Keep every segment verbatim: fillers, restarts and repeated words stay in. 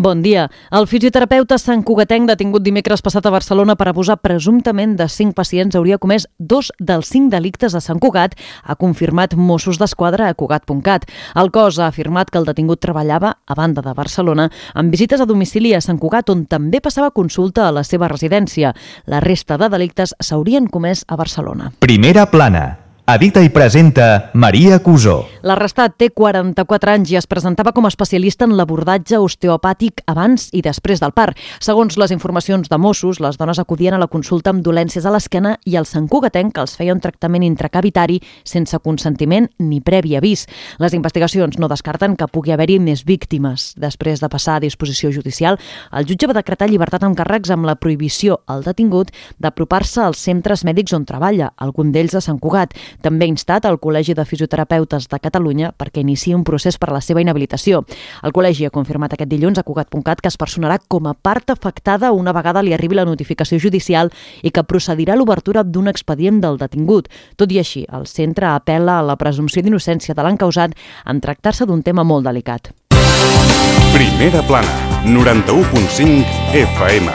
Bon dia. El fisioterapeuta santcugatenc detingut dimecres passat a Barcelona per abusar presumptament de cinc pacients hauria comès dos dels cinc delictes a Sant Cugat, ha confirmat Mossos d'Esquadra a Cugat punt cat. El cos ha afirmat que el detingut treballava, a banda de Barcelona, amb visites a domicili a Sant Cugat, on també passava consulta a la seva residència. La resta de delictes s'haurien comès a Barcelona. Primera plana. Edita i presenta Maria Cusó. L'arrestat té quaranta-quatre anys i es presentava com a especialista en l'abordatge osteopàtic abans i després del part. Segons les informacions de Mossos, les dones acudien a la consulta amb dolències a l'esquena i el santcugatenc els feia un tractament intracavitari sense consentiment ni previ avís. Les investigacions no descarten que pugui haver-hi més víctimes. Després de passar a disposició judicial, el jutge va decretar llibertat amb càrrecs amb la prohibició al detingut d'apropar-se als centres mèdics on treballa, algun d'ells a Sant Cugat. També ha instat al Col·legi de Fisioterapeutes de Catalunya perquè iniciï un procés per a la seva inhabilitació. El col·legi ha confirmat aquest dilluns a Cugat punt cat que es personarà com a part afectada una vegada li arribi la notificació judicial i que procedirà a l'obertura d'un expedient del detingut. Tot i així, el centre apel·la a la presumpció d'innocència de l'encausat en tractar-se d'un tema molt delicat. Primera plana, noranta-u punt cinc F M.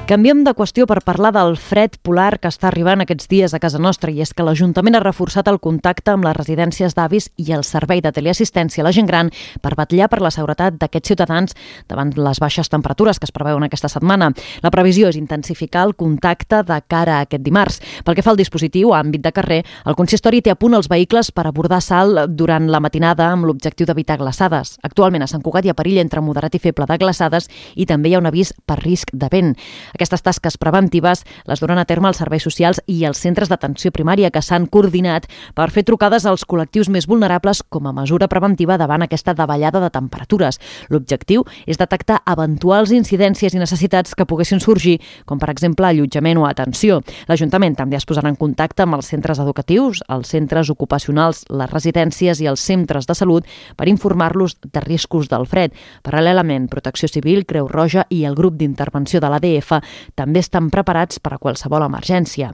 Canviem de qüestió per parlar del fred polar que està arribant aquests dies a casa nostra, i és que l'Ajuntament ha reforçat el contacte amb les residències d'avis i el servei de teleassistència a la gent gran per vetllar per la seguretat d'aquests ciutadans davant les baixes temperatures que es preveuen aquesta setmana. La previsió és intensificar el contacte de cara a aquest dimarts. Pel que fa al dispositiu a àmbit de carrer, el consistori té a punt els vehicles per abordar salt durant la matinada amb l'objectiu d'evitar glaçades. Actualment a Sant Cugat hi ha perill entre moderat i feble de glaçades i també hi ha un avís per risc de vent. Aquestes tasques preventives les duran a terme els serveis socials i els centres d'atenció primària que s'han coordinat per fer trucades als col·lectius més vulnerables com a mesura preventiva davant aquesta davallada de temperatures. L'objectiu és detectar eventuals incidències i necessitats que poguessin sorgir, com per exemple allotjament o atenció. L'Ajuntament també es posarà en contacte amb els centres educatius, els centres ocupacionals, les residències i els centres de salut per informar-los de riscos del fred. Paral·lelament, Protecció Civil, Creu Roja i el grup d'intervenció de l'A D F també estan preparats per a qualsevol emergència.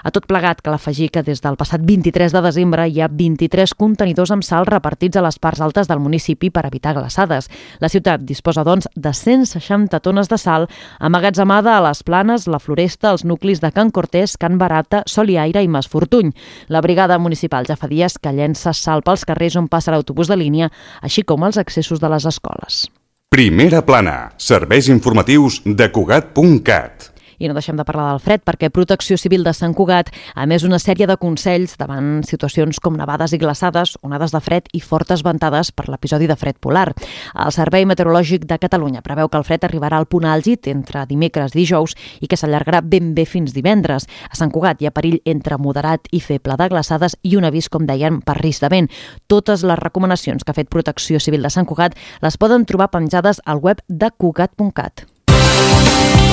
A tot plegat, cal afegir que des del passat vint-i-tres de desembre hi ha vint-i-tres contenidors amb sal repartits a les parts altes del municipi per evitar glaçades. La ciutat disposa, doncs, de cent seixanta tones de sal amagatzemada a les Planes, la Floresta, els nuclis de Can Cortés, Can Barata, Sol i Aire i Mas Fortuny. La brigada municipal ja fa dies que llença sal pels carrers on passa l'autobús de línia, així com els accessos de les escoles. Primera plana, serveis informatius de Cugat punt cat. I no deixem de parlar del fred perquè Protecció Civil de Sant Cugat ha emès una sèrie de consells davant situacions com nevades i glaçades, onades de fred i fortes ventades per l'episodi de fred polar. El Servei Meteorològic de Catalunya preveu que el fred arribarà al punt àlgid entre dimecres i dijous i que s'allargarà ben bé fins divendres. A Sant Cugat hi ha perill entre moderat i feble de glaçades i un avís, com dèiem, per risc de vent. Totes les recomanacions que ha fet Protecció Civil de Sant Cugat les poden trobar penjades al web de Cugat punt cat.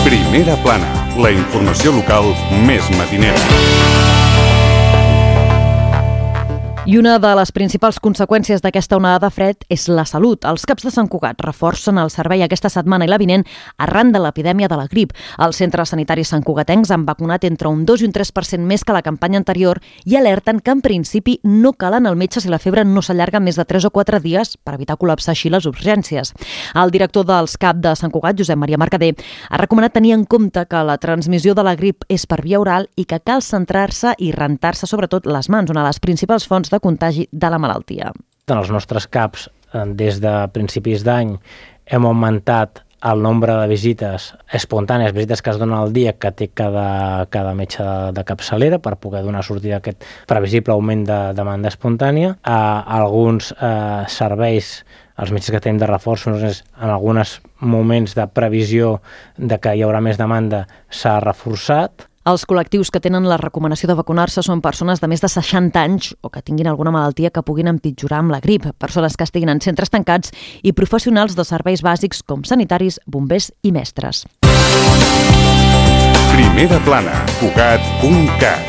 Primera plana, la informació local més matinera. I una de les principals conseqüències d'aquesta onada de fred és la salut. Els CAPs de Sant Cugat reforcen el servei aquesta setmana i la vinent arran de l'epidèmia de la grip. Els centres sanitaris santcugatencs han vacunat entre un dos i un tres per cent més que la campanya anterior i alerten que en principi no cal anar al metge si la febre no s'allarga més de tres o quatre dies per evitar col·lapsar així les urgències. El director dels CAP de Sant Cugat, Josep Maria Mercader, ha recomanat tenir en compte que la transmissió de la grip és per via oral i que cal centrar-se i rentar-se sobretot les mans, una de les principals fonts de contagi de la malaltia. En els nostres CAPs, des de principis d'any, hem augmentat el nombre de visites espontànies, visites que es donen al dia que té cada, cada metge de, de capçalera per poder donar sortida a aquest previsible augment de demanda espontània. A alguns eh, serveis, els metges que tenim de reforços, en alguns moments de previsió de que hi haurà més demanda, s'ha reforçat. Els col·lectius que tenen la recomanació de vacunar-se són persones de més de seixanta anys o que tinguin alguna malaltia que puguin empitjorar amb la grip, persones que estiguin en centres tancats i professionals de serveis bàsics com sanitaris, bombers i mestres. Primera plana, Cugat punt cat.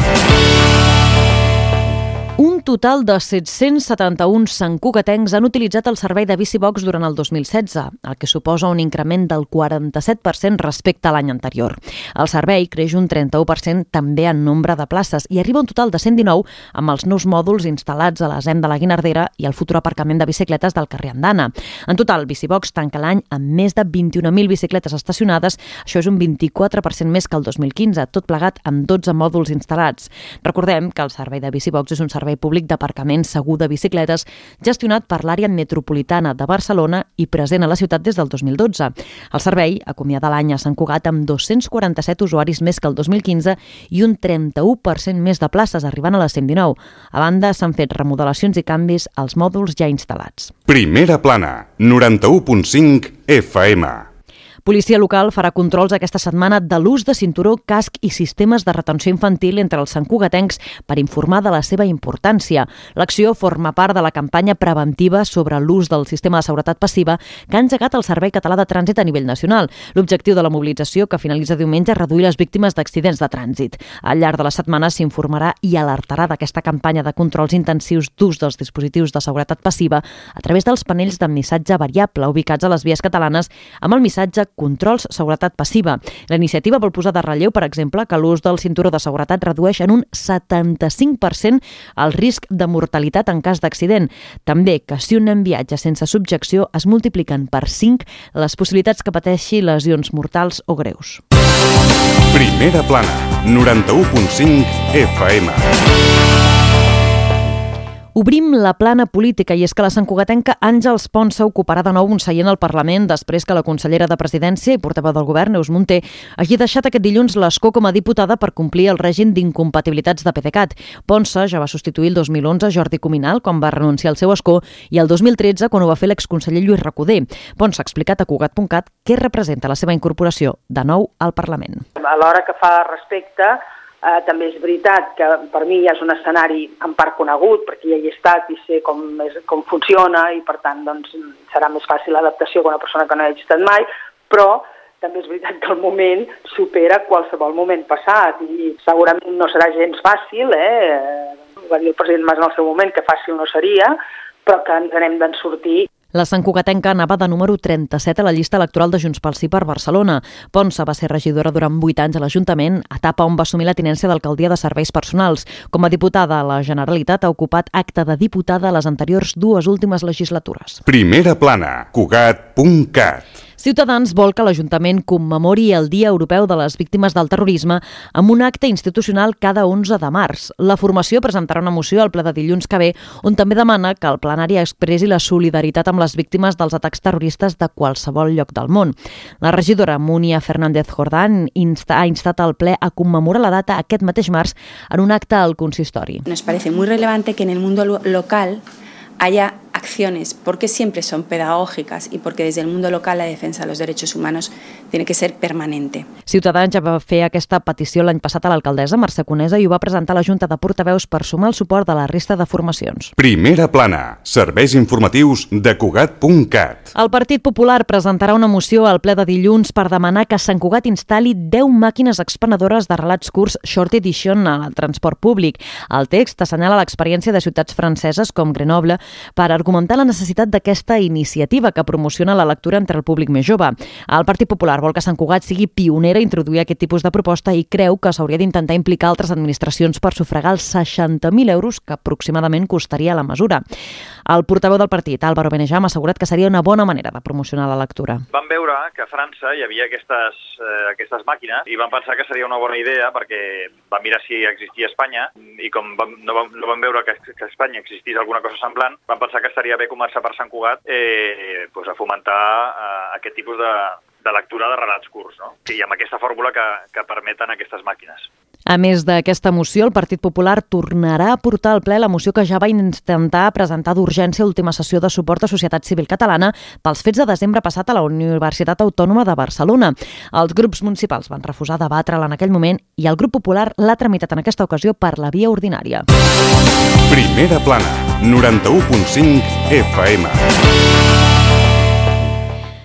Un Un total de set-cents setanta-un santcugatencs han utilitzat el servei de BiciBox durant el dos mil setze, el que suposa un increment del quaranta-set per cent respecte a l'any anterior. El servei creix un trenta-u per cent també en nombre de places i arriba a un total de cent dinou amb els nous mòduls instal·lats a la Z E M de la Guinardera i al futur aparcament de bicicletes del carrer Andana. En total, BiciBox tanca l'any amb més de vint-i-un mil bicicletes estacionades, això és un vint-i-quatre per cent més que el dos mil quinze, tot plegat amb dotze mòduls instal·lats. Recordem que el servei de BiciBox és un servei públic d'aparcament segur de bicicletes gestionat per l'àrea metropolitana de Barcelona i present a la ciutat des del dos mil dotze. El servei acomiada l'any a Sant Cugat amb dos-cents quaranta-set usuaris més que el dos mil quinze i un trenta-u per cent més de places, arribant a les cent dinou. A banda, s'han fet remodelacions i canvis als mòduls ja instal·lats. Primera plana, noranta-u punt cinc F M. Policia local farà controls aquesta setmana de l'ús de cinturó, casc i sistemes de retenció infantil entre els santcugatencs per informar de la seva importància. L'acció forma part de la campanya preventiva sobre l'ús del sistema de seguretat passiva que ha engegat el Servei Català de Trànsit a nivell nacional. L'objectiu de la mobilització, que finalitza diumenge, és reduir les víctimes d'accidents de trànsit. Al llarg de la setmana s'informarà i alertarà d'aquesta campanya de controls intensius d'ús dels dispositius de seguretat passiva a través dels panells de missatge variable ubicats a les vies catalanes amb el missatge controls seguretat passiva. La iniciativa vol posar de relleu, per exemple, que l'ús del cinturó de seguretat redueix en un setanta-cinc per cent el risc de mortalitat en cas d'accident. També que si un nen viatja sense subjecció es multipliquen per cinc les possibilitats que pateixi lesions mortals o greus. Primera plana, noranta-u punt cinc F M. Obrim la plana política i és que la santcugatenca Àngels Ponsa ocuparà de nou un seient al Parlament després que la consellera de Presidència i portaveu del govern, Neus Munté, hagi deixat aquest dilluns l'escó com a diputada per complir el règim d'incompatibilitats de PDeCAT. Ponsa ja va substituir el dos mil onze Jordi Cuminal quan va renunciar al seu escó i el dos mil tretze quan ho va fer l'exconseller Lluís Recoder. Ponsa ha explicat a Cugat punt cat què representa la seva incorporació de nou al Parlament. A l'hora que fa respecte, Eh, també és veritat que per mi ja és un escenari en part conegut, perquè ja hi he estat i sé com, és, com funciona i per tant doncs, serà més fàcil l'adaptació que una persona que no hi hagi estat mai, però també és veritat que el moment supera qualsevol moment passat i segurament no serà gens fàcil, eh? va dir el president Mas en el seu moment que fàcil no seria, però que ens anem d'en sortir. La santcugatenca anava de número trenta-set a la llista electoral de Junts pel Sí per Barcelona. Ponsa va ser regidora durant vuit anys a l'Ajuntament, etapa on va assumir la tinència d'alcaldia de serveis personals. Com a diputada a la Generalitat ha ocupat acte de diputada a les anteriors dues últimes legislatures. Primera plana, Cugat punt cat. Ciutadans vol que l'Ajuntament commemori el Dia Europeu de les Víctimes del Terrorisme amb un acte institucional cada onze de març. La formació presentarà una moció al ple de dilluns que ve on també demana que el plenari expressi la solidaritat amb les víctimes dels atacs terroristes de qualsevol lloc del món. La regidora Múnia Fernández Jordán insta, ha instat al ple a commemorar la data aquest mateix març en un acte al consistori. Nos parece muy relevante que en el mundo lo local haya acciones, porque siempre son pedagógicas y porque desde el mundo local la defensa de los derechos humanos tiene que ser permanente. Ciutadans ja va fer aquesta petició l'any passat a l'alcaldessa Mercè Conesa i ho va presentar a la Junta de Portaveus per sumar el suport de la resta de formacions. Primera plana, serveis informatius de Cugat punt cat. El Partit Popular presentarà una moció al ple de dilluns per demanar que Sant Cugat instal·li deu màquines expenedores de relats curts Short Edition al transport públic. El text assenyala l'experiència de ciutats franceses com Grenoble per argumentar la necessitat d'aquesta iniciativa que promociona la lectura entre el públic més jove. El Partit Popular vol que Sant Cugat sigui pionera a introduir aquest tipus de proposta i creu que s'hauria d'intentar implicar altres administracions per sufragar els seixanta mil euros que aproximadament costaria la mesura. El portaveu del partit, Álvaro Benejam, ha assegurat que seria una bona manera de promocionar la lectura. Vam veure que a França hi havia aquestes, eh, aquestes màquines i vam pensar que seria una bona idea perquè vam mirar si existia a Espanya i com vam, no, vam, no vam veure que, que a Espanya existís alguna cosa semblant, vam pensar que estaria bé començar per Sant Cugat eh, pues a fomentar eh, aquest tipus de, de lectura de relats curts, no? I amb aquesta fórmula que, que permeten aquestes màquines. A més d'aquesta moció, el Partit Popular tornarà a portar al ple la moció que ja va intentar presentar d'urgència a l'última sessió de suport a Societat Civil Catalana pels fets de desembre passat a la Universitat Autònoma de Barcelona. Els grups municipals van refusar debatre-la en aquell moment i el grup popular l'ha tramitat en aquesta ocasió per la via ordinària. Primera plana, noranta-u punt cinc F M.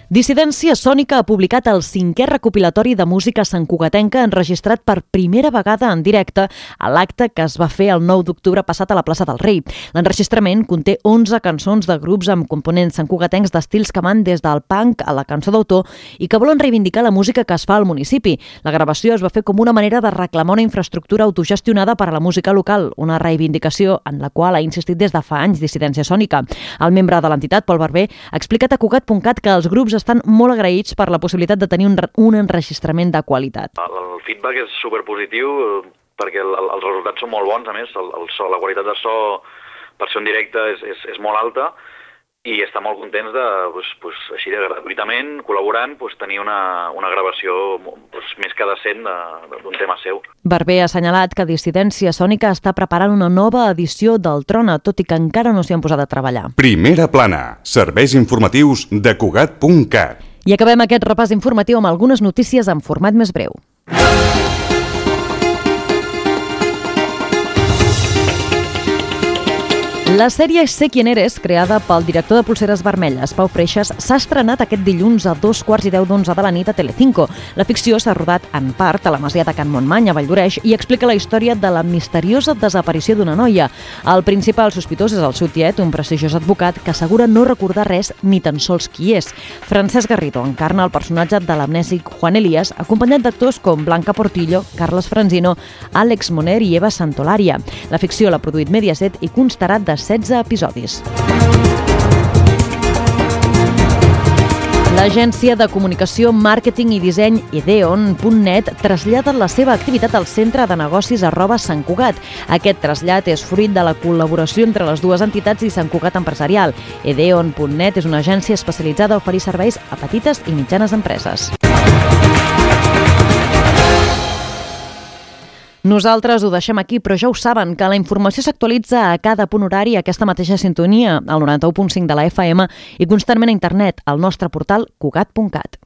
Dissidència Sònica ha publicat el cinquè recopilatori de música santcugatenca enregistrat per primera vegada en directe a l'acte que es va fer el nou d'octubre passat a la plaça del Rei. L'enregistrament conté onze cançons de grups amb components santcugatencs d'estils que van des del punk a la cançó d'autor i que volen reivindicar la música que es fa al municipi. La gravació es va fer com una manera de reclamar una infraestructura autogestionada per a la música local, una reivindicació en la qual ha insistit des de fa anys Dissidència Sònica. El membre de l'entitat, Pol Barber, ha explicat a Cugat punt cat que els grups estan molt agraïts per la possibilitat de tenir un, un enregistrament de qualitat. El, el feedback és superpositiu perquè el, el, els resultats són molt bons, a més, el, el so, la qualitat de so per ser en directe és, és, és molt alta i estan molt contents de, pues, pues, així de gratuïtament, col·laborant, pues, tenir una, una gravació pues, més que decent d'un tema seu. Barber ha assenyalat que Dissidència Sònica està preparant una nova edició del Trona, tot i que encara no s'hi han posat a treballar. Primera plana, serveis informatius de Cugat punt cat. I acabem aquest repàs informatiu amb algunes notícies en format més breu. La sèrie Sé quién eres, creada pel director de Polseres Vermelles, Pau Freixas, s'ha estrenat aquest dilluns a dos quarts i deu d'onze de la nit a Telecinco. La ficció s'ha rodat en part a la masia de Can Montmany, a Valldoreix, i explica la història de la misteriosa desaparició d'una noia. El principal sospitós és el seu tiet, un prestigiós advocat que assegura no recordar res ni tan sols qui és. Francesc Garrido encarna el personatge de l'amnèsic Juan Elías, acompanyat d'actors com Blanca Portillo, Carles Franzino, Àlex Moner i Eva Santolària. La ficció l'ha produït Mediaset i constarà de setze episodis. L'agència de comunicació, màrqueting i disseny Edeon punt net trasllada la seva activitat al centre de negocis arroba Sant Cugat. Aquest trasllat és fruit de la col·laboració entre les dues entitats i Sant Cugat Empresarial. Edeon punt net és una agència especialitzada a oferir serveis a petites i mitjanes empreses. Nosaltres ho deixem aquí, però ja ho saben, que la informació s'actualitza a cada punt horari a aquesta mateixa sintonia, al noranta-u punt cinc de la F M i constantment a internet, al nostre portal cugat punt cat.